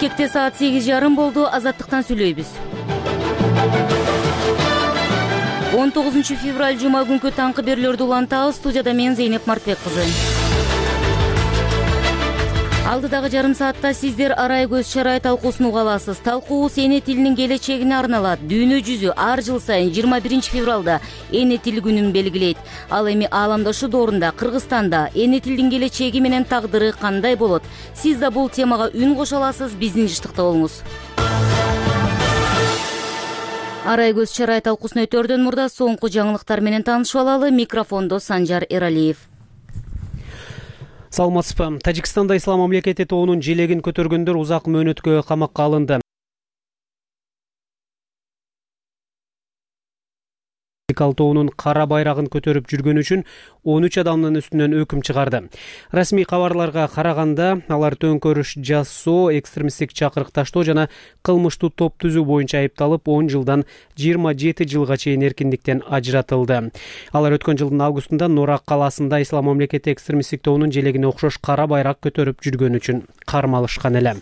Бишкекте саат 8:30 болду. Азаттыктан сүйлөйбүз. 19 февраль жума күнкү таңкы берүүлөрдү улантабыз. Студияда мен Зейнеп Мартбек кызы. Алдыдагы жарым саатта сиздер арай көз чарай талкуусун уга аласыз. Талкуубуз эне тилинин келечегине арналат. Дүйнө жүзү ар жыл сайын 21 февралда эне тил күнүн белгилейт. Ал эми ааламдашу доорунда Кыргызстанда эне тилдин келечеги менен тагдыры кандай болот? Сиз да бул темага үн кошо аласыз. Биздин жыштыкта болуңуз. Арай көз чарай талкуусун өтөрдөн мурда соңку жаңылыктар менен таанышып алалы. Микрофондо Санжар Эралиев. Саламатсызбы. Тажикстанда ислам мамлекети тоонун желегин көтөргөндөр узак мөөнөткө камакка алынды. Тоонун кара байрагын көтөрүп жүргөн үчүн 13 адамдын үстүнөн өкүм чыгарды. Расмий кабарларга караганда, алар төңкөрүш жасоо, экстремисттик чакырыкташтоо жана кылмыштуу топ түзүү боюнча айыпталып, 10 жылдан 27 жылга чейин эркиндиктен ажыратылды. Алар өткөн жылдын августунда Норак калаасында ислам мамлекети экстремисттик тоонун желегине окшош кара байрак көтөрүп жүргөн үчүн кармалышкан эле.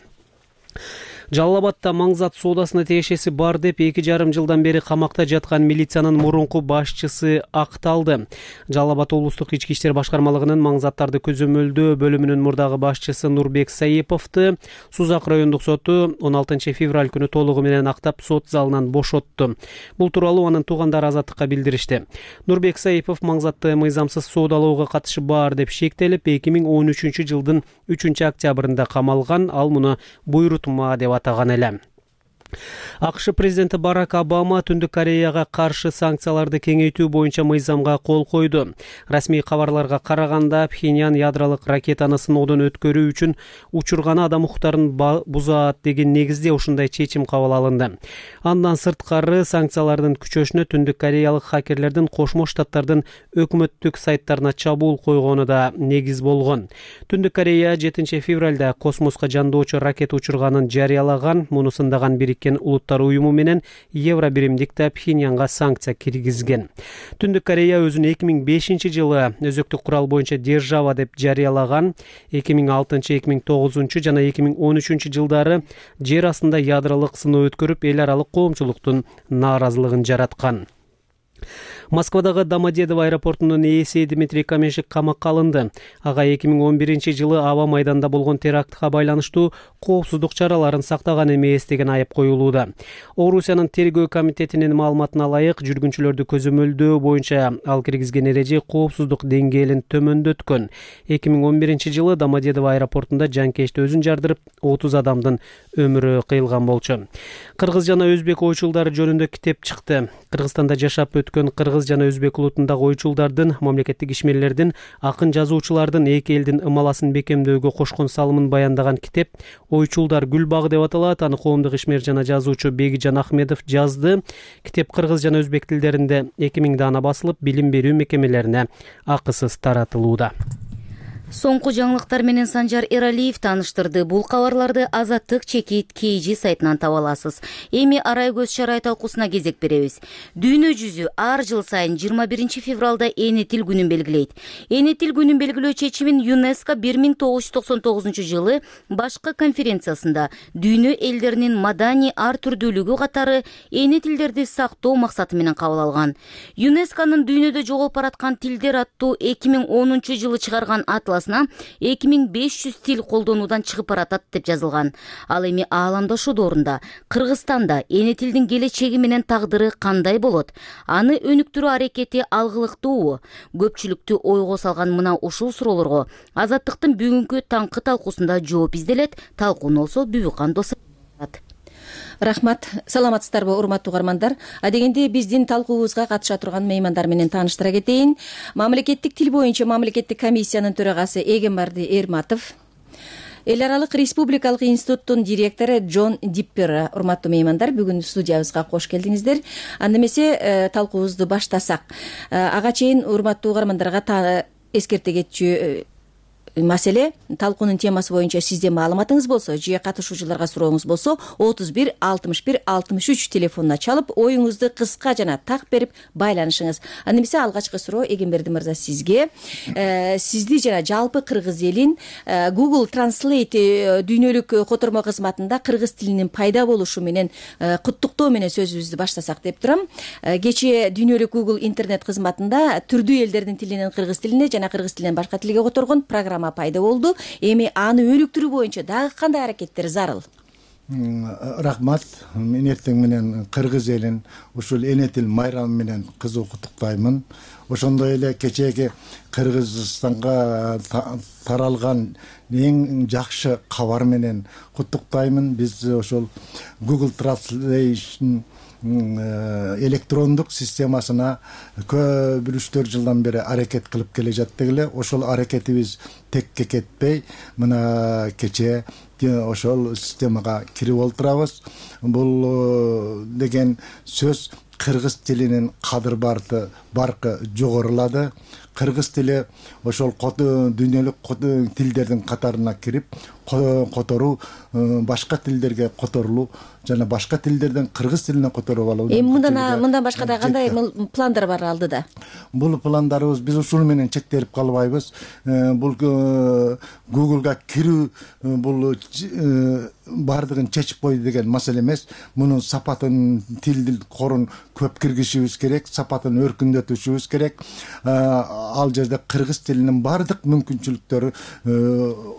Жалал-Абадда маңзат соодасына тиешеси бар деп 2,5 жылдан бери камакта жаткан милициянын мурунку башчысы акталды. Жалал-Абад облустук ички иштер башкармалыгынын маңзаттарды көзөмөлдөө бөлүмүнүн мурдагы башчысы Нурбек Саиповду Сузак райондук соту 16 февраль күнү толугу менен актап сот залынан бошотту. Бул тууралуу анын туугандары Азаттыкка билдиришти. Нурбек Саипов маңзатты мыйзамсыз соодалоого катышы бар деп шектелип, 2013 жылдын 3 октябрында камалган. Ал муну буйрутма деп атаган эле. АКШ президенти Барак Обама Түндүк Кореяга каршы санкцияларды кеңейтүү боюнча мыйзамга кол койду. Расмий кабарларга караганда, Пхеньян ядролук ракетаны сыноодон өткөрүү үчүн учурганы адам укуктарын бузат деген негизде ушундай чечим кабыл алынды. Андан сырткары санкциялардын күчөшүнө Түндүк Кореялык хакерлердин Кошмо Штаттардын өкмөттүк сайттарына чабуул койгону да негиз болгон. Түндүк Корея 7 февралда космоска жандоочу ракета учурганын жарыялаган. Муну сындаган Улуттар уюму менен евро биримдик да Пхеньянга санкция киргизген. Түндүк Корея өзүн 2005 жылы өзөктүк курал боюнча держава деп жарыялаган. 2006, 2009 жана 2013 жылдары жер астында ядролук сыноо өткөрүп, эл аралык коомчулуктун нааразылыгын жараткан. Москвадагы Домодедово аэропортунун ээси Дмитрий Каменшик камакка алынды. Ага 2011 жылы аба майданда болгон терактка байланыштуу коопсуздук чараларын сактаган эмес деген айып коюлууда. Орусиянын тергөө комитетинин маалыматына ылайык, жүргүнчүлөрдү көзөмөлдөө боюнча ал киргизген эреже коопсуздук деңгээлин төмөндөткөн. 2011 жылы Домодедово аэропортунда жанкечти өзүн жардырып, 30 адамдын өмүрү кыйылган болчу. Кыргыз жана өзбек ойчулдары жөнүндө китеп чыкты. Кыргызстанда жашап өткөн кыргыз жана өзбек улутундагы ойчулдардын, мамлекеттик ишмерлердин, акын жазуучулардын эки элдин ымаласын бекемдөөгө кошкон салымын баяндаган китеп Ойчулдар гүл багы деп аталат. Аны коомдук ишмер жана жазуучу Бегижан Ахмедов жазды. Китеп кыргыз жана өзбек тилдеринде 2000 даана басылып, билим берүү мекемелерине акысыз таратылууда. Соңку жаңылыктар менен Санжар Эралиев тааныштырды. Бул кабарларды Азаттык чекит KG сайтынан таба аласыз. Эми арай көз чарай талкуусуна кезек беребиз. Дүйнө жүзү ар жыл сайын 21 февралда эне тил күнүн белгилейт. Эне тил күнүн белгилөө чечимин ЮНЕСКО 1999 жылы башкы конференциясында дүйнө элдеринин маданий ар түрдүүлүгү катары эне тилдерди сактоо максаты менен кабыл алган. ЮНЕСКОнун дүйнөдө жоголуп бараткан тилдер аттуу 2010 жылы чыгарган атлас 2500 тил колдонуудан чыгып баратат деп жазылган. Ал эми ааламдашу доорунда Кыргызстанда эне тилдин келечеги менен тагдыры кандай болот? Аны өнүктүрүү аракети алгылыктуубу? Көпчүлүктү ойго салган мына ушул суроолорго Азаттыктын бүгүнкү таңкы талкуусунда жооп изделет. Талкууну болсо Бүбүкан Досо. Рахмат. Саламатсыздарбы, урматтуу угармандар? Адегенде биздин талкуубузга катыша турган меймандар менен тааныштыра кетейин. Мамлекеттик тил боюнча мамлекеттик комиссиянын төрагасы Эгембарди Эрматов, Эл аралык республикалык институттун директору Джон Диппер. Урматтуу меймандар, бүгүн студиябызга кош келдиңиздер. Анда эмесе талкуубузду баштасак. Ага чейин урматтуу угармандарга эскерте кетчү маселе талкуунун темасы боюнча сизде маалыматыңыз болсо же катышуучуларга сурооңуз болсо 31 61 63 телефонуна чалып оюңузду кыска жана так берип байланышыңыз. Анда эмесе алгачкы суроо Эгемберди мырза сизге. Сизди жана жалпы кыргыз элин Google Translate дүйнөлүк котормо кызматында кыргыз тилинин пайда болушу менен куттуктоо менен сөзүбүздү баштасак деп турам. Кечээ дүйнөлүк Google интернет кызматында түрдүү элдердин тилинен кыргыз тилине жана кыргыз тилинен башка тилге которгон программа пайда болду. Эми аны өнүктүрүү боюнча дагы кандай аракеттер зарыл? Рахмат. Мен эртең менен кыргыз элин ушул эне тил майрамы менен кызуу куттуктаймын. Ошондой эле кечээги Кыргызстанга таралган эң жакшы кабар менен куттуктаймын. Биз ошол Google Translation электрондук системасына көп 3-4 жылдан бери аракет кылып келе жаттык эле. Ошол аракетибиз текке кетпей мына кечээ ошол системага кирип олтурабыз. Бул деген сөз кыргыз тилинин кадыр баркы жогорулады. Кыргыз тили ошол дүйнөлүк тилдердин катарына кирип которуу, башка тилдерге которулуу жана башка тилдерден кыргыз тилине которуп алуу. Эми мындан башка да кандай пландар бар алдыда? Бул пландарыбыз биз ушул менен чектелип калбайбыз. Бул Google'га кирүү бул бардыгын чечип койду деген маселе эмес. Мунун сапатын, тилдин корун көп киргизишибиз керек, сапатын өркүндөтүшүбүз керек. Ал жерде кыргыз тилинин бардык мүмкүнчүлүктөрү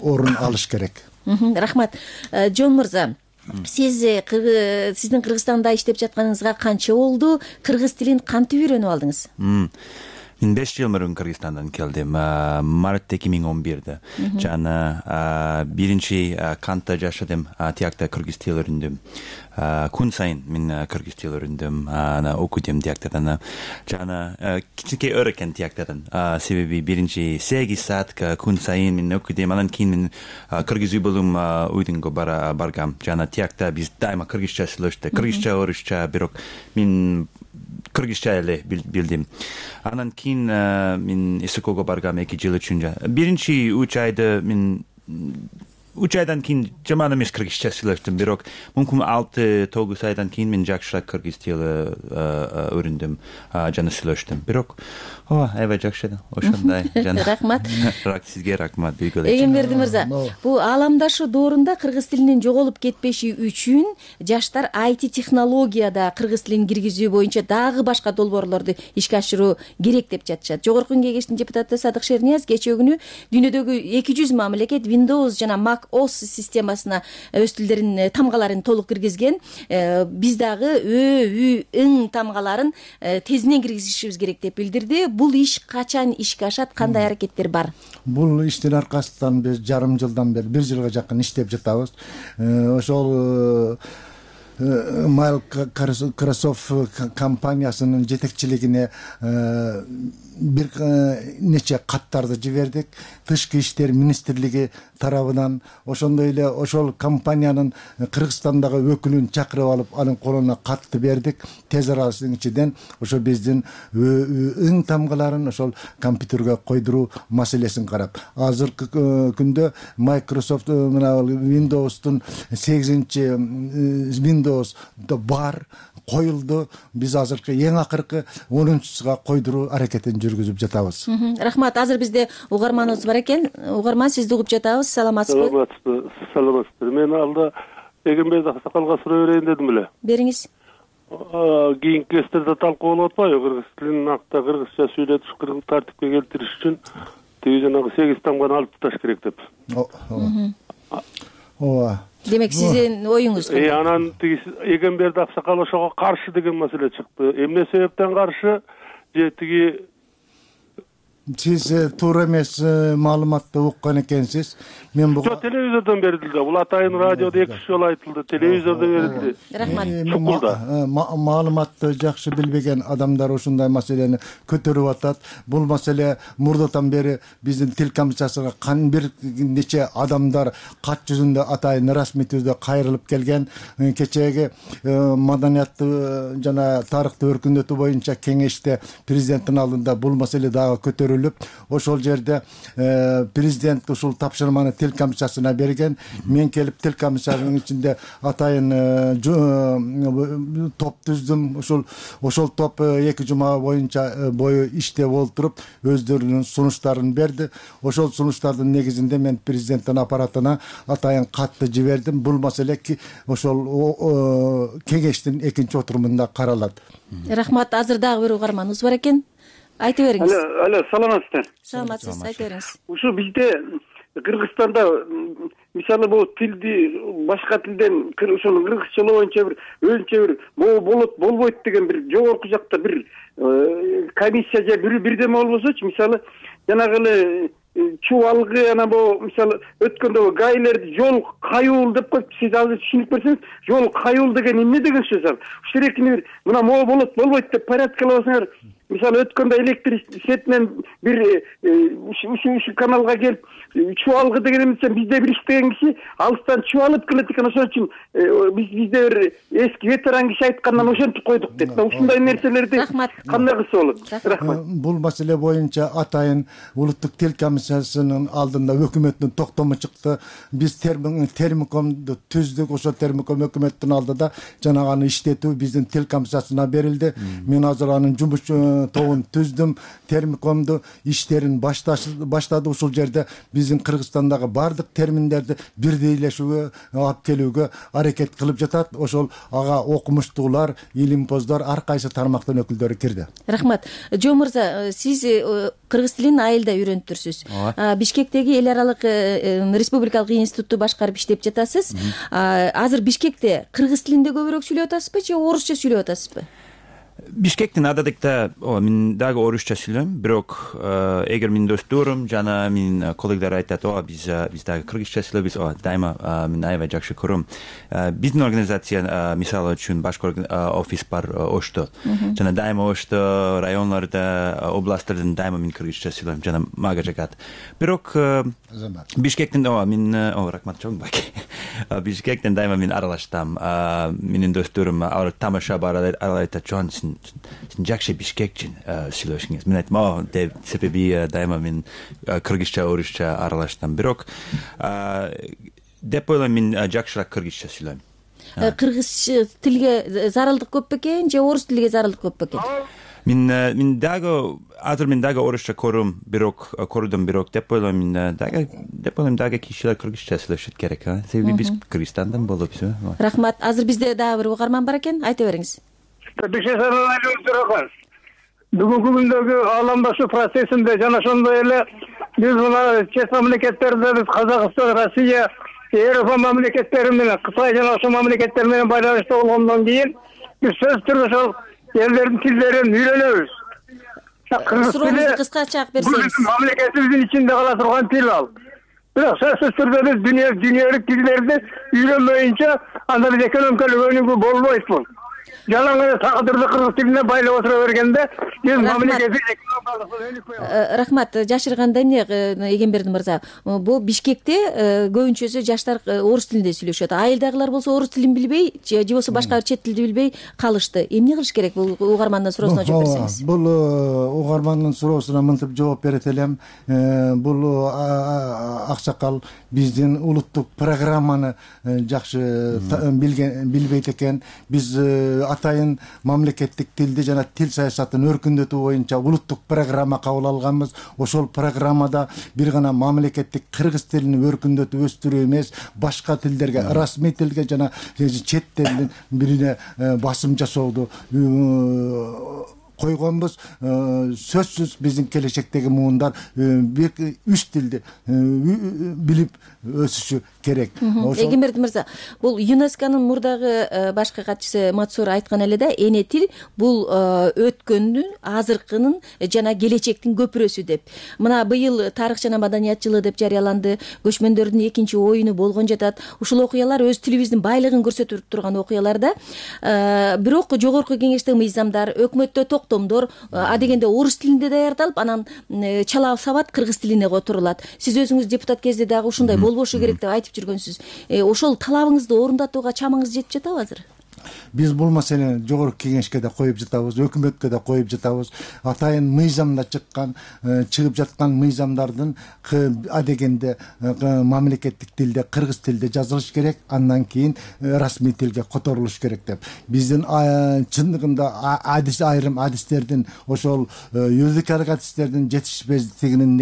орун алыш керек. Рахмат. Жон мырза, сиздин Кыргызстанда иштеп жатканыңызга канча болду? Кыргыз тилин кантип үйрөнүп алдыңыз? Мен 5 жыл мурун Кыргызстандан келдим. Март 2011-де. Жана биринчи кантта жашадым. Тиякта кыргыз тил үйрөндүм. Күн сайын мен кыргыз тил үйрөндүм. Окудум тияктадан. Жана кичинекей өр экен тияктадан. Себеби биринчи 8 саат күн сайын мен окудум. Анан кийин мен кыргыз үй болум уйдунга баргам. Жана тиякта биз дайыма кыргызча сүйлөштүк. Кыргызча, орусча, бирок мен кыргызча эле билдим. Анан кийин мен СКОго баргам 2 жыл үчүн. Биринчи 3 айда мен 3 айдан кийин жаман эмес кыргызча сүйлөштүм, бирок мүмкүн 6-9 айдан кийин мен жакшыраак кыргыз тилин үйрөндүм жана сүйлөштүм. Бирок аябай жакшы ошондой. Рахмат. Сизге рахмат. Эгемберди мырза, бул ааламдашу доорунда кыргыз тилинин жоголуп кетпеши үчүн жаштар IT технологияда кыргыз тилин киргизүү боюнча дагы башка долбоорлорду ишке ашыруу керек деп жатышат. Жогорку кеңештин депутаты Садык Шернияз кечээ күнү дүйнөдөгү 200 мамлекет Windows жана Mac OS системасына өз тилдерин тамгаларын толук киргизген. Биз дагы ың тамгаларын тезинен киргизишибиз керек деп билдирди. Бул иш качан ишке ашат, кандай аракеттер бар? Бул иштин аркасынан биз жарым жылдан бери 1 жылга жакын иштеп жатабыз. Ошол Microsoft компаниясынын жетекчилигине бир нече каттарды жибердик. Тышкы иштер министрлиги тарабынан ошондой эле ошол компаниянын Кыргызстандагы өкүлүн чакырып алып, анын колуна катты бердик. Тез аралыктын ичинен ошо биздин ың тамгаларын ошол компьютерге койдуруу маселесин карап, азыркы күндө Microsoft мына Windows'тун 8-чи Windows бар, коюлду. Биз азыркы эң акыркы 10-чусуга койдуруу аракетин жүргүзүп жатабыз. Рахмат. Азыр бизде угарманыбыз бар экен. Угарман, сизди угуп жатабыз. Саламатсызбы? Саламатсыздар. Мен алда Эгемберди Аксакалга суроо берейин дедим эле. Бериңиз. Кийинки кестерде талкуу болуп атпайбы? Кыргыз тилин акта кыргызча сүйлөтүш, кыргыз тартипке келтириш үчүн тиги жанагы 8 тамганы алып ташташ керек деп. Ооба. Демек сиздин оюңуз кандай? Анан тиги Эгемберди Аксакал ошого каршы деген маселе чыкты. Эмне себептен каршы? Же тиги Сиз туура эмес маалыматты уккан экенсиз. Мен буга телевизордон берилди. Бул атайын радиодо 2 жолу айтылды, телевизордо берилди. Рахмат. Маалыматты жакшы билбеген адамдар ушундай маселени көтөрүп атат. Бул маселе мурдатан бери биздин тил комиссиясына бир нече адамдар кат жүзүндө атайын расмий түрдө кайрылып келген. Кечээги маданиятты жана тарыхты өркүндөтүү боюнча кеңеште президенттин алдында бул маселе дагы көтөрүлүп көтөрүлүп, ошол жерде президент ушул тапшырманы тил комиссиясына берген. Мен келип тил комиссиянын ичинде атайын топ түздүм. Ошол топ 2 жума бою иштеп олтуруп өздөрүнүн сунуштарын берди. Ошол сунуштардын негизинде мен президенттин аппаратына атайын катты жибердим. Бул маселе ошол кеңештин 2-чи отурумунда каралат. Рахмат. Азыр дагы бир угарманыбыз бар экен. Айта бериңиз. Алло, саламатсыздар. Саламатсыз, айта бериңиз. Ушу бизде Кыргызстанда мисалы бул тилди башка тилден ошол кыргызчалоо боюнча бир өзүнчө бир могу болот болбойт деген бир жогорку жакта бир комиссия же бирдеме болбосочу, мисалы жанагы эле чубалгы анан могу мисалы өткөндө гайлерди жол каюул деп коюп, сиз азыр түшүнүп берсеңиз, жол каюул деген эмне деген сөз ал? Ушул эркини бир мына могу болот болбойт деп порядкалабасаңар, мисалы өткөндө электр сетинен бир ушу каналга келип чубалгы деген эмесе, бизде бир иштеген киши алыстан чубалып келет экен, ошон үчүн бизде бир эски ветеран киши айткандан ошентип койдук деп. Ушундай нерселерди кандай кылса болот? Рахмат. Бул маселе боюнча атайын улуттук тил комиссиясынын алдында өкмөттүн токтому чыкты. Биз термикомду түздүк. Ошол термиком өкмөттүн алдында жанагы аны иштетүү биздин тил комиссиясына берилди. Мен азыр анын жумуш тобун түздүм. Термикомду иштерин баштады. Ушул жерде биздин Кыргызстандагы бардык терминдерди бирдейлешүүгө алып келүүгө аракет кылып жатат. Ошол ага окумуштуулар, илимпоздор, ар кайсы тармактын өкүлдөрү кирди. Рахмат. Жо мырза, сиз кыргыз тилин айылда үйрөнүптүрсүз. Бишкектеги эл аралык республикалык институтту башкарып иштеп жатасыз. Азыр Бишкекте кыргыз тилинде көбүрөөк сүйлөп атасызбы же орусча сүйлөп атасызбы? Бишкектин ададыкта мен дагы орусча сүйлөйм, бирок эгер менин досторум жана менин коллегдар айтат, биз дагы кыргызча сүйлөйбүз, дайыма мен аябай жакшы көрөм. Биздин организация мисалы үчүн башкы офис бар Ошто. Жана дайыма Ошто районларда, областтарда дайыма мен кыргызча сүйлөйм, жана мага жагат. Бирок Бишкектин рахмат чоң баки. Бишкектен дайыма мен аралаштам. Менин досторум алар тамаша бар, алар айтат, "Жон, сен жакшы бишкекчин сүйлөшүңүз." Мен айттым, себеби дайыма мен кыргызча, орусча аралаштам. Бирок деп ойлойм, мен жакшыраак кыргызча сүйлөйм. Кыргыз тилге зарылдык көп бекен же орус тилге зарылдык көп бекен? Мен дагы орусча көрдүм, бирок деп ойлойм, дагы кишилер кыргызча сүйлөшүш керек. Себеби биз Кыргызстандан болупбуз. Рахмат. Азыр бизде дагы бир угарман бар экен. Айта бериңиз. Бүгүнкү күндөгү ааламдашуу процессинде жана ошондой эле биз мына чет мамлекеттерде, биз Казакстан, Россия, Европа мамлекеттери менен, Кытай жана ошол мамлекеттер менен байланышта болгондон кийин биз сөзсүз түрдө ошол элдердин тилдерин үйрөнөбүз. Сурообузду кыскача айтып берсеңиз. Мамлекетибиздин ичинде кала турган тил ал. Бирок сөзсүз түрдө биз дүйнөлүк тилдерди үйрөнбөйүнчө анда биз экономикалык өнүгүү болбойт бул. Жалаң эле тагдырды кыргыз тилине байлап отура бергенде биз мамлекеттик экономикалык өнүкпөй. Рахмат. Жашырганда эмне Эгемберди мырза? Бул Бишкекте көбүнчөсү жаштар орус тилинде сүйлөшөт. Айылдагылар болсо орус тилин билбей же болбосо башка бир чет тилди билбей калышты. Эмне кылыш керек? Бул угармандын суроосуна жооп берсеңиз. Бул угармандын суроосуна мынтип жооп берет элем. Бул аксакал биздин улуттук программаны жакшы билбейт экен. Биз атайын мамлекеттик тилди жана тил саясатын өркүндөтүү боюнча улуттук программа кабыл алганбыз. Ошол программада бир гана мамлекеттик кыргыз тилин өркүндөтүп өстүрүү эмес, башка тилдерге, расмий тилге жана чет тилдин бирине басым жасоодо койгонбуз. Сөзсүз биздин келечектеги муундар үч тилди билип өсүшү керек. Эгемберди мырза, бул ЮНЕСКОнун мурдагы башкы катчысы Мацур айткан эле да, эне тил бул өткөндүн, азыркынын жана келечектин көпүрөсү деп. Мына быйыл тарых жана маданият жылы деп жарыяланды. Көчмөндөрдүн экинчи оюну болгон жатат. Ушул окуялар өз тилибиздин байлыгын көрсөтүп турган окуялар да. Бирок жогорку кеңештеги мыйзамдар, өкмөттө токтомдор адегенде орус тилинде даярдалып, анан чала сабат кыргыз тилине которулат. Сиз өзүңүз депутат кезде дагы ушундай болбошу керек деп айтып жүргөнсүз. Ошол талабыңызды орундатууга чамыңыз жетип жатабы азыр? Биз бул маселени жогорку кеңешке да коюп жатабыз, өкмөткө да коюп жатабыз. Атайын мыйзамда чыгып жаткан мыйзамдардын адегенде мамлекеттик тилде, кыргыз тилде жазылыш керек, андан кийин расмий тилге которулуш керек деп. Биздин чындыгында айрым адистердин, ошол юридикалык адистердин жетишпестигинин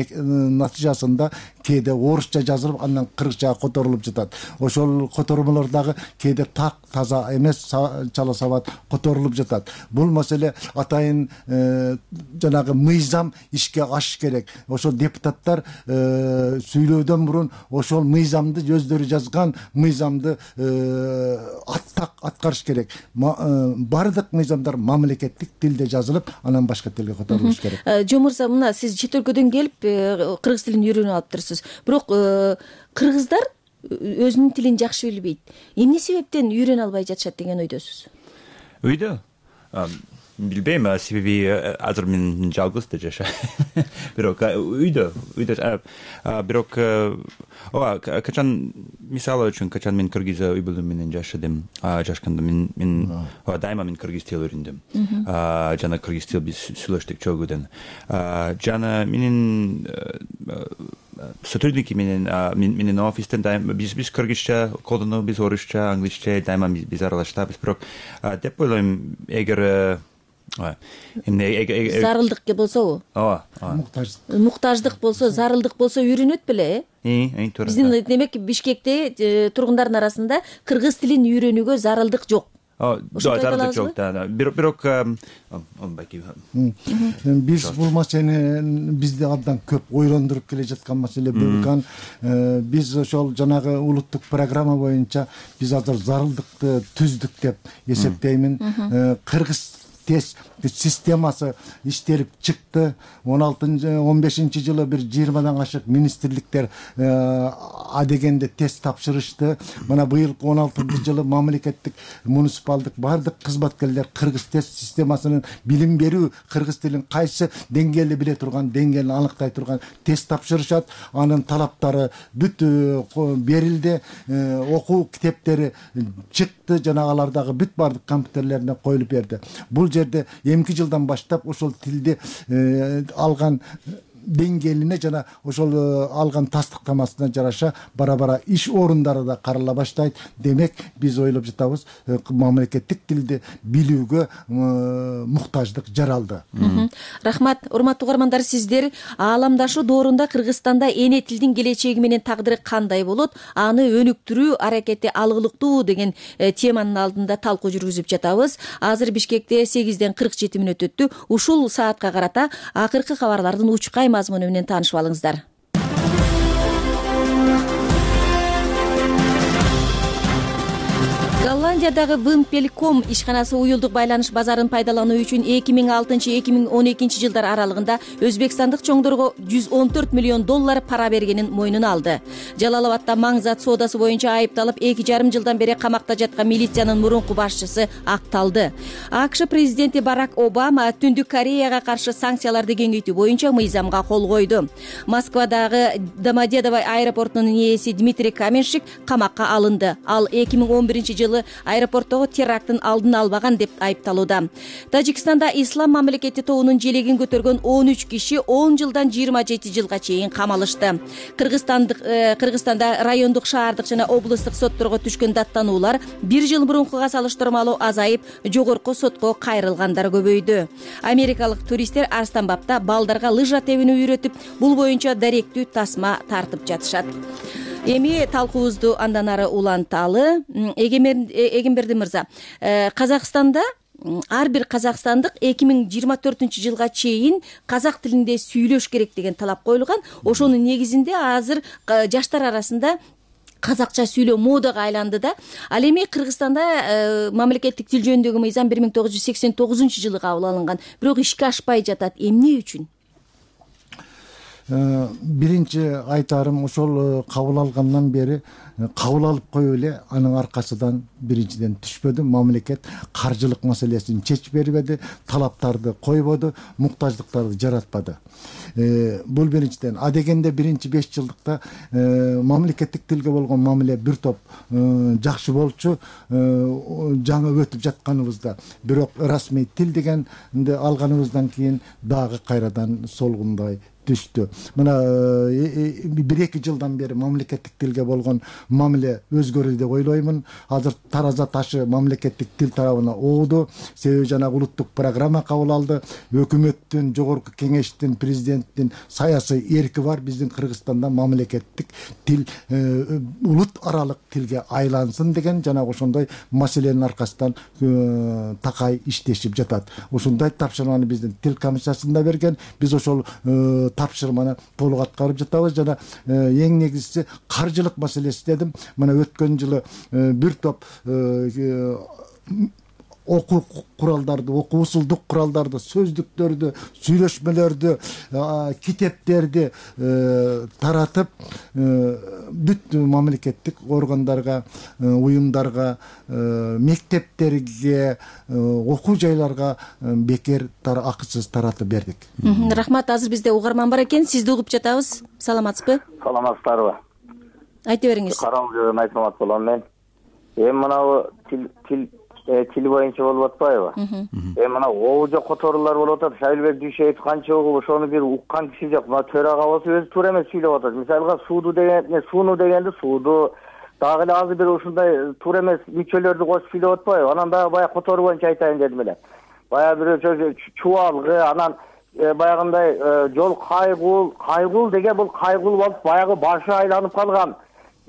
натыйжасында кээде орусча жазылып, андан кыргызчага которулуп жатат. Ошол котормолор дагы кээде так таза эмес, чала сабат которулуп жатат. Бул маселе атайын жанагы мыйзам ишке ашыш керек. Ошол депутаттар сүйлөөдөн мурун ошол мыйзамды өздөрү жазган мыйзамды аткарыш керек. Бардык мыйзамдар мамлекеттик тилде жазылып, анан башка тилге которулуш керек. Жо мырза, мына сиз чет өлкөдөн келип кыргыз тилин үйрөнүп алыптырсыз. Бирок кыргыздар өзүнүн тилин жакшы билбейт. Эмне себептен үйрөнө албай жатышат деген ойдосуз? Үйдө билбейм, себеби азыр мен жалгыз да жашайм. Бирок үйдө бирок качан мисалы үчүн качан мен кыргыз үй бүлөм менен жашканда мен дайыма мен кыргыз тил үйрөндүм. Жана кыргыз тил биз сүйлөштүк чогууден. Жана менин сотрудники менин офистен дайыма биз кыргызча колдонобуз, биз орусча, англисче дайыма биз аралаштабыз. Бирок деп ойлойм, эгер зарылдык болсобу? Муктаждык болсо, зарылдык болсо үйрөнөт беле, туура. Биздин демек Бишкекте тургундардын арасында кыргыз тилин үйрөнүүгө зарылдык жок. Зарылдык жок да. Бирок биз бул маселени бизди абдан көп ойлондуруп келе жаткан маселе болгон. Биз ошол жанагы улуттук программа боюнча биз азыр зарылдыкты түздүк деп эсептеймин. Кыргыз тест системасы иштелип чыкты. 15 жылы бир 20дан ашык министрликтер адегенде тест тапшырышты. Мына быйылкы 16 жылы мамлекеттик муниципалдык бардык кызматкерлер кыргыз тест системасынын билим берүү, кыргыз тилин кайсы деңгээлде биле турган, деңгээлин аныктай турган тест тапшырышат. Анын талаптары бүт берилди, окуу китептери чыкты, жанагалардагы бүт бардык компьютерлерине коюлуп берди. Бул жерде эмки жылдан баштап ошол тилди алган деңгээлине жана ошол алган тастыктамасына жараша бара иш орундары да карала баштайт. Демек биз ойлоп жатабыз, мамлекеттик тилди билүүгө муктаждык жаралды. Рахмат. Урматтуу угармандар, сиздер ааламдашуу доорунда Кыргызстанда эне тилдин келечеги менен тагдыры кандай болот, аны өнүктүрүү аракети алгылыктуу деген теманын алдында талкуу жүргүзүп жатабыз. Азыр Бишкекте 8:47 өттү. Ушул саатка карата акыркы кабарлардын учкай мазмуну менен таанышып алыңыздар. Голландиядагы Вимпелком ишканасы уюлдук байланыш базарын пайдалануу үчүн 2006-2012 жылдар аралыгында өзбекстандык чоңдорго $114 миллион пара бергенин мойнуна алды. Жалалабадда маң зат соодасы боюнча айыпталып 2,5 жылдан бери камакта жаткан милициянын мурунку башчысы акталды. АКШ президенти Барак Обама Түндүк Кореяга каршы санкцияларды кеңейтүү боюнча мыйзамга кол койду. Москвадагы Домодедово аэропортунун ээси Дмитрий Каменшик камакка алынды. Ал 2011 жылы аэропорттогу теракттын алдын албаган деп айыпталууда. Тажикстанда ислам мамлекети тобунун желегин көтөргөн 13 киши 10 жылдан 27 жылга чейин камалышты. Кыргызстанда райондук, шаардык жана облустук сотторго түшкөн даттануулар 1 жыл мурункуга салыштырмалуу азайып, жогорку сотко кайрылгандар көбөйдү. Америкалык туристтер Арстанбапта балдарга лыжа тебүүнү үйрөтүп, бул боюнча даректүү тасма тартып жатышат. Эми талкуубузду андан ары уланталы. Эгемберди мырза, Казакстанда ар бир казакстандык 2024 жылга чейин казак тилинде сүйлөш керек деген талап коюлган. Ошонун негизинде азыр жаштар арасында казакча сүйлөө модага айланды да. Ал эми Кыргызстанда мамлекеттик тил жөнүндөгү мыйзам 1989 жылы кабыл алынган. Бирок ишке ашпай жатат. Эмне үчүн? биринчи айтарым ошол кабыл алгандан бери кабыл алып коюп эле анын аркасынан биринчиден түшпөдү, мамлекет каржылык маселесин чечип бербеди, талаптарды койбоду, муктаждыктарды жаратпады. Бул биринчиден. Дегенде биринчи 5 жылдыкта мамлекеттик тилге болгон мамиле бир топ жакшы болчу, жаңы өтүп жатканыбызда. Бирок расмий тил дегенди алганыбыздан кийин дагы кайрадан солгундай түштү. Мына 1-2 жылдан бери мамлекеттик тилге болгон мамиле өзгөрдү деп ойлоймун. Азыр тараза ташы мамлекеттик тил тарабына ооду. Себеби жанагы улуттук программа кабыл алды. Өкмөттүн, жогорку кеңештин, президенттин саясий эрки бар. Биздин Кыргызстанда мамлекеттик тил улут аралык тилге айлансын деген жанагы ошондой маселенин аркасынан такай иштешип жатат. Ошондой тапшырманы биздин тил комиссиясында берген. Биз ошол тапшырманы толук аткарып жатабыз. Жана эң негизгиси каржылык маселеси дедим. Мына өткөн жылы бир топ окуу куралдарды, окуу усулдук куралдарды, сөздүктөрдү, сүйлөшмөлөрдү, китептерди таратып бүт мамлекеттик органдарга, уюмдарга, мектептерге, окуу жайларга бекер акысыз таратып бердик. Рахмат. Азыр бизде угарман бар экен. Сизди угуп жатабыз. Саламатсызбы? Саламатсыздарбы? Айта бериңиз. Караңгы жерден айтмак болом мен. Мынабу тил боюнча болуп атпайбы? Мына оожо которуулар болуп атат. Шайлбек Дүйшөев канча угуп, ошону бир уккан киши жок. Мына төрага болсо өзү туура эмес сүйлөп атат. Мисалга сууну дегенди сууду, дагы эле азыр бир ушундай туура эмес мүчөлөрдү кошуп сүйлөп атпайбы? Анан дагы баягы которуу боюнча айтайын дедим эле. Баягы бирөө чубалгы, анан баягындай жол кайгул деген бул кайгул болуп баягы башы айланып калган.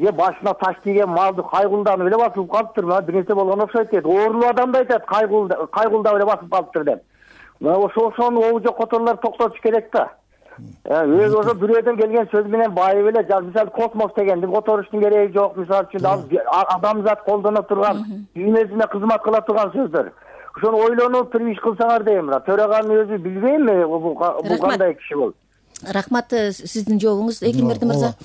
Башына таш тийген малды кайгулданып эле басып калыптыр. Мына бир нерсе болгон окшойт дейт. Оорулуу адам да айтат, кайгулдап эле басып калыптыр деп. Мына ошону оожо которуулар токтотуш керек да. Өзү ошо бирөөдөн келген сөз менен байып эле, мисалы космос дегенди которуштун кереги жок. Мисалы үчүн адамзат колдоно турган, дүйнөсүнө кызмат кыла турган сөздөр. Ошону ойлонуп туруп иш кылсаңар дейм. Төраганын өзү билбейм бул кандай киши болуп. Рахмат. Сиздин жообуңуз Экилмерди мырза.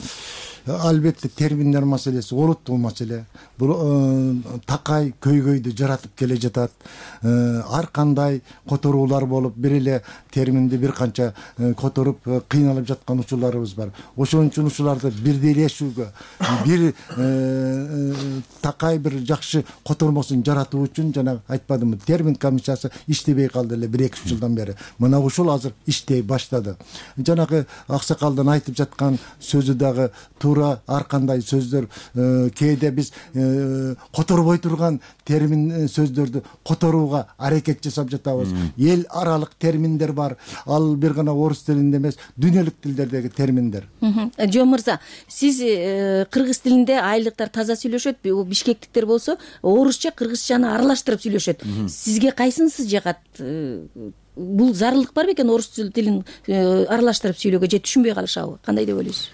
Албетте терминдер маселеси олуттуу маселе. Бул такай көйгөйдү жаратып келе жатат. Ар кандай которуулар болуп, бир эле терминди бир канча которуп кыйналып жаткан учурларыбыз бар. Ошон үчүн ушуларды бирдейлешүүгө, бир такай бир жакшы котормосун жаратуу үчүн жана айтпадымбы, термин комиссиясы иштебей калды эле 1-2 жылдан бери. Мына ушул азыр иштей баштады. Жанагы аксакалдын айтып жаткан сөзү дагы ар кандай сөздөр, кээде биз которбой турган термин сөздөрдү которууга аракет жасап жатабыз. Эл аралык терминдер бар. Ал бир гана орус тилинде эмес, дүйнөлүк тилдердеги терминдер. Жон мырза, сиз кыргыз тилинде айылдыктар таза сүйлөшөт, бишкектиктер болсо орусча, кыргызчаны аралаштырып сүйлөшөт. Сизге кайсынысы жагат? Бул зарылдык бар бекен орус тилин аралаштырып сүйлөөгө же түшүнбөй калышабы? Кандай деп ойлойсуз?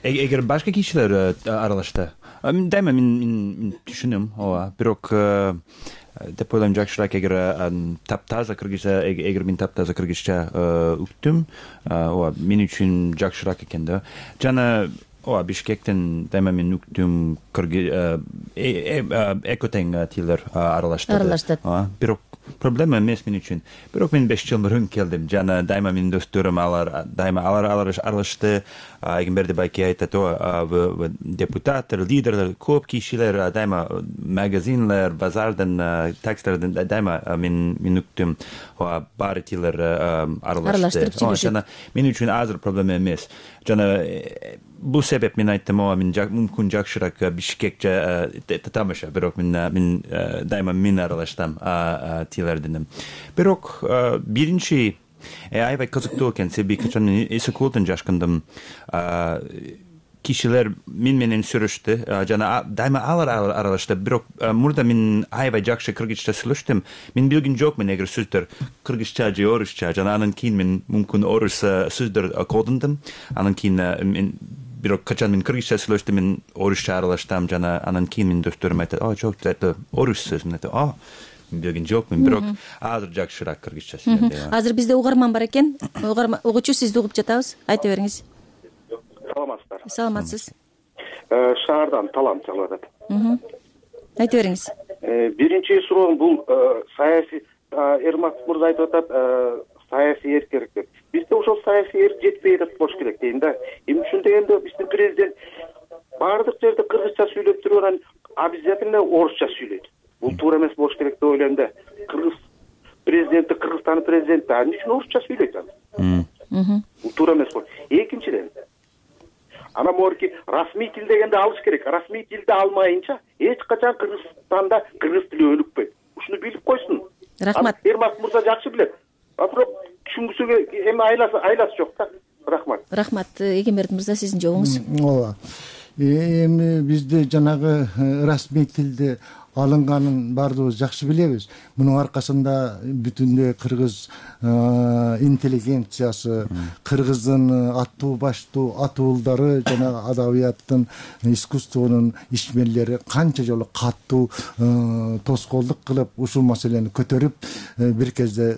Эгер башка кишилер аралашса, дайыма мен түшүнөм, ооба. Бирок деп ойлойм жакшыраак эгер таптаза кыргызча, эгер мен таптаза кыргызча уктум, ооба, мен үчүн жакшыраак экен да. Жана ооба, Бишкектен дайыма мен уктум эко тең тилдер аралаштырды. Бирок проблема эмес мен үчүн. Бирок мен 5 жыл мурун келдим. Жана дайыма менин досторум алар аралашты. Эгемберди байке айтат, депутаттар, лидерлер, көп кишилер дайыма магазинлер, базардан, таксилерден дайыма мен уктум баары тилдер аралаштырып сүйлөшөт. Мен үчүн азыр проблема эмес. Жана бул себеп мен айттым, мен мүмкүн жакшыраак Бишкекче татамаша, бирок мен дайыма мен аралаштым тилдерден. Бирок биринчи аябай кызыктуу экен, себеби качан эски колдон жашкандым. Кишилер мен менен сүйлөштү, жана дайыма алар аралашты. Бирок мурда мен аябай жакшы кыргызча сүйлөштүм. Мен билген жокмун эгер сөздөр кыргызча же орусча, жана анан кийин мен мүмкүн орус сөздөр колдондум. Анан кийин бирок качан мен кыргызча сүйлөштүм, мен орусча аралаштым, жана анан кийин менин досторум айтат, жок, это орус сөз. Мен айтам, билген жокмун, бирок азыр жакшыраак кыргызча сүйлөйм. Азыр бизде угарман бар экен. Угуучу, сизди угуп жатабыз. Айта бериңиз. саламатсыз? Шаардан талант чалып атат. Айта бериңиз. Биринчи суроом бул саясий, Эрмак мырза айтып атат, саясий эрк керек деп. Бизде ошол саясий эрк жетпей атат болуш керек дейм да. Эмне үчүн дегенде биздин президент баардык жерде кыргызча сүйлөп туруп анан обязательно орусча сүйлөйт. Бул туура эмес болуш керек деп ойлойм да. Кыргыз президенти, Кыргызстандын президенти эмне үчүн орусча сүйлөйт анан? Бул туура эмес болот. Экинчиден, анан могуки расмий тил дегенде алыш керек. Расмий тилди алмайынча эч качан Кыргызстанда кыргыз тили өнүкпөйт. Ушуну билип койсун. Рахмат. Эрмак мырза жакшы билет. Бирок түшүнгүсүгө эми айласы жок да. Рахмат. Рахмат. Эгемберди мырза, сиздин жообуңуз. Ооба. Эми бизде жанагы расмий тилде алынганын баардыгыбыз жакшы билебиз. Мунун аркасында бүтүндөй кыргыз интеллигенциясы, кыргыздын аттуу баштуу атуулдары жана адабияттын, искусствонун ишмерлери канча жолу катуу тоскоолдук кылып ушул маселени көтөрүп бир кезде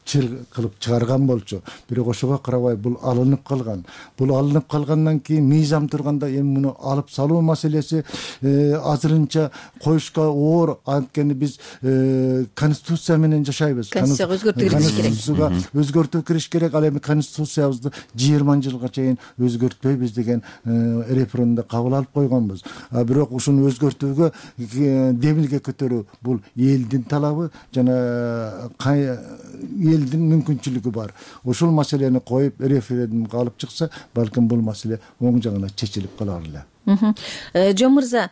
чыр кылып чыгарган болчу. Бирок ошого карабай бул алынып калган. Бул алынып калгандан кийин мыйзам турганда эми муну алып салуу маселеси азырынча коюшка оор. Анткени биз конституция менен жашайбыз. Конституцияга өзгөртүү кириш керек. Конституцияга өзгөртүү кириш керек. Ал эми конституциябызды 20 жылга чейин өзгөртпөйбүз деген референдумда кабыл алып койгонбуз. Бирок ушуну өзгөртүүгө демилге көтөрүү бул элдин талабы жана элдин мүмкүнчүлүгү бар. Ошол маселени коюп референдумга алып чыкса, балким бул маселе оң жагына чечилип калар эле. Жон мырза,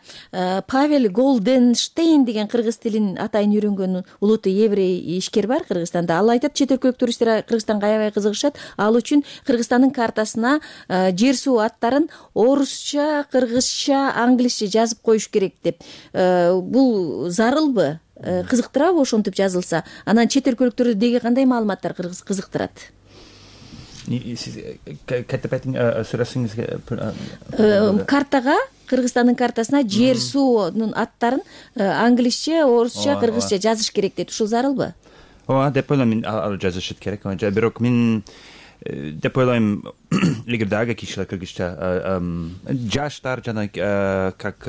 Павел Голденштейн деген кыргыз тилин атайын үйрөнгөн улуттуу еврей ишкер бар Кыргызстанда. Ал айтат, чет өлкөлүк туристтер Кыргызстанга аябай кызыгышат. Ал үчүн Кыргызстандын картасына жер суу аттарын орусча, кыргызча, англисче жазып коюш керек деп. Бул зарылбы? Кызыктырабы ошентип жазылса? Анан чет өлкөлүктөрдө деги кандай маалыматтар кызыктырат? Сиз кайтып айтың, сурасыңызга. Картага, Кыргызстандын картасына жер суунун аттарын англисче, орусча, кыргызча жазыш керек дейт. Ушул зарылбы? Ооба, деп ойлойм, ал жазышат керек. Бирок мен деп ойлойм, эгерде ага кишилер кыргызча жаштар жана как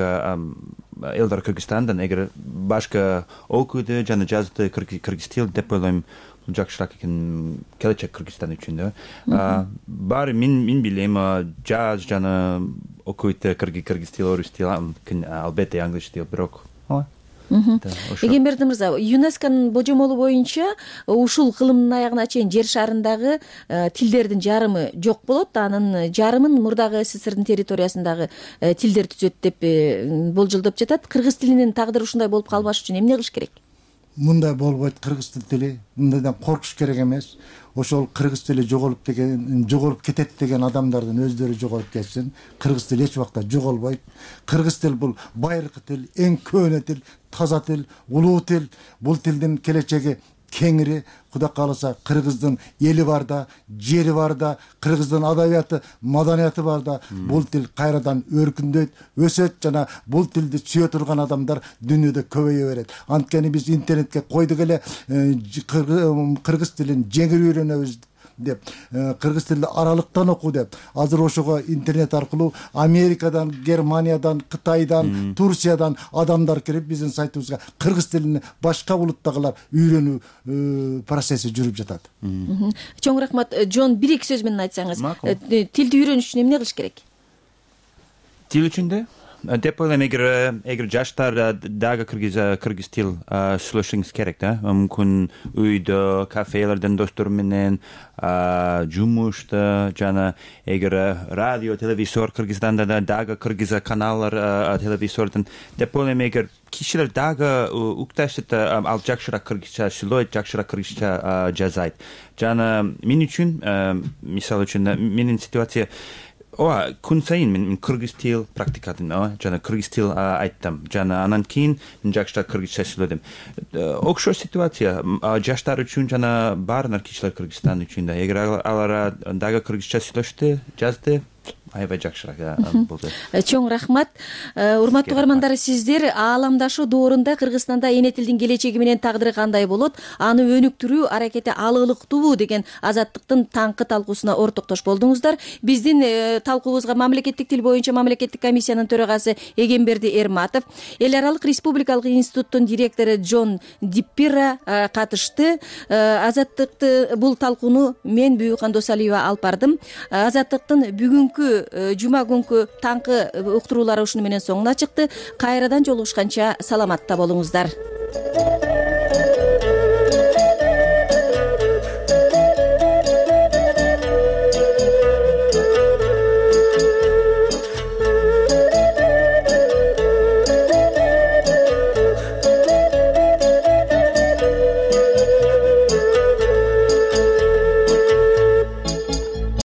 элдер Кыргызстандан эгер башка окуйду жана жазды кыргыз тил деп ойлойм, жакшыраак экен келечек Кыргызстан үчүн да. Баары мен билем, жаз жана окуйду кыргыз тил, орус тил, албетте англис тил, бирок Эгемберди мырза, ЮНЕСКОнун божомолу боюнча ушул кылымдын аягына чейин жер шарындагы тилдердин жарымы жок болот, анын жарымын мурдагы СССРдин территориясындагы тилдер түзөт деп болжолдоп жатат. Кыргыз тилинин тагдыры ушундай болуп калбаш үчүн эмне кылыш керек? Мындай болбойт. Кыргыз тили мындайдан коркуш керек эмес. Ошол кыргыз тили жоголуп кетет деген адамдардын өздөрү жоголуп кетсин. Кыргыз тили эч убакта жоголбойт. Кыргыз тил бул байыркы тил, эң көөнө тил, таза тил, улуу тил. Бул тилдин келечеги кеңири. Кудай кааласа кыргыздын эли бар да, жери бар да, кыргыздын адабияты, маданияты бар да. Бул тил кайрадан өркүндөйт, өсөт жана бул тилди сүйө турган адамдар дүйнөдө көбөйө берет. Анткени биз интернетке койдук эле кыргыз тилин жеңил үйрөнөбүз деп, кыргыз тилди аралыктан оку деп. Азыр ошого интернет аркылуу Америкадан, Германиядан, Кытайдан, Турциядан адамдар кирип биздин сайтыбызга кыргыз тилин башка улуттагылар үйрөнүү процесси жүрүп жатат. Чоң рахмат. Жон, бир-эки сөз менен айтсаңыз, тилди үйрөнүш үчүн эмне кылыш керек? Тил үчүн деп ойлойм, эгер жаштар дагы кыргыз тил сүйлөшүңүз керек да. Мүмкүн үйдө, кафелерден достор менен, жумушта жана эгер радио, телевизор Кыргызстанда дагы кыргыз каналдар телевизордон деп ойлойм, эгер кишилер дагы укташат, ал жакшыраак кыргызча сүйлөйт, жакшыраак кыргызча жазайт. Жана мен үчүн, мисалы үчүн менин ситуация күн сайын мен кыргыз тил практикадым, жана кыргыз тил айттым, жана анан кийин мен жакшыраак кыргызча сүйлөдүм. Окшош ситуация жаштар үчүн жана баардык кишилер Кыргызстан үчүн да. Эгер алар дагы кыргызча сүйлөштү, жазды, аябай жакшыраак болду. Чоң рахмат. Урматтуу угармандар, сиздер ааламдашуу доорунда Кыргызстанда эне тилдин келечеги менен тагдыры кандай болот, аны өнүктүрүү аракети алыылыктуубу деген Азаттыктын таңкы талкуусуна ортоктош болдуңуздар. Биздин талкуубузга мамлекеттик тил боюнча мамлекеттик комиссиянын төрагасы Эгемберди Эрматов, Эл аралык республикалык институттун директору Джон Диппира катышты. Азаттыкты бул талкууну мен Бүйүкхан Досалиева алып бардым. Азаттыктын бүгүнкү жума күнкү таңкы уктуруулары ушуну менен соңуна чыкты. Кайрадан жолугушканча саламатта болуңуздар.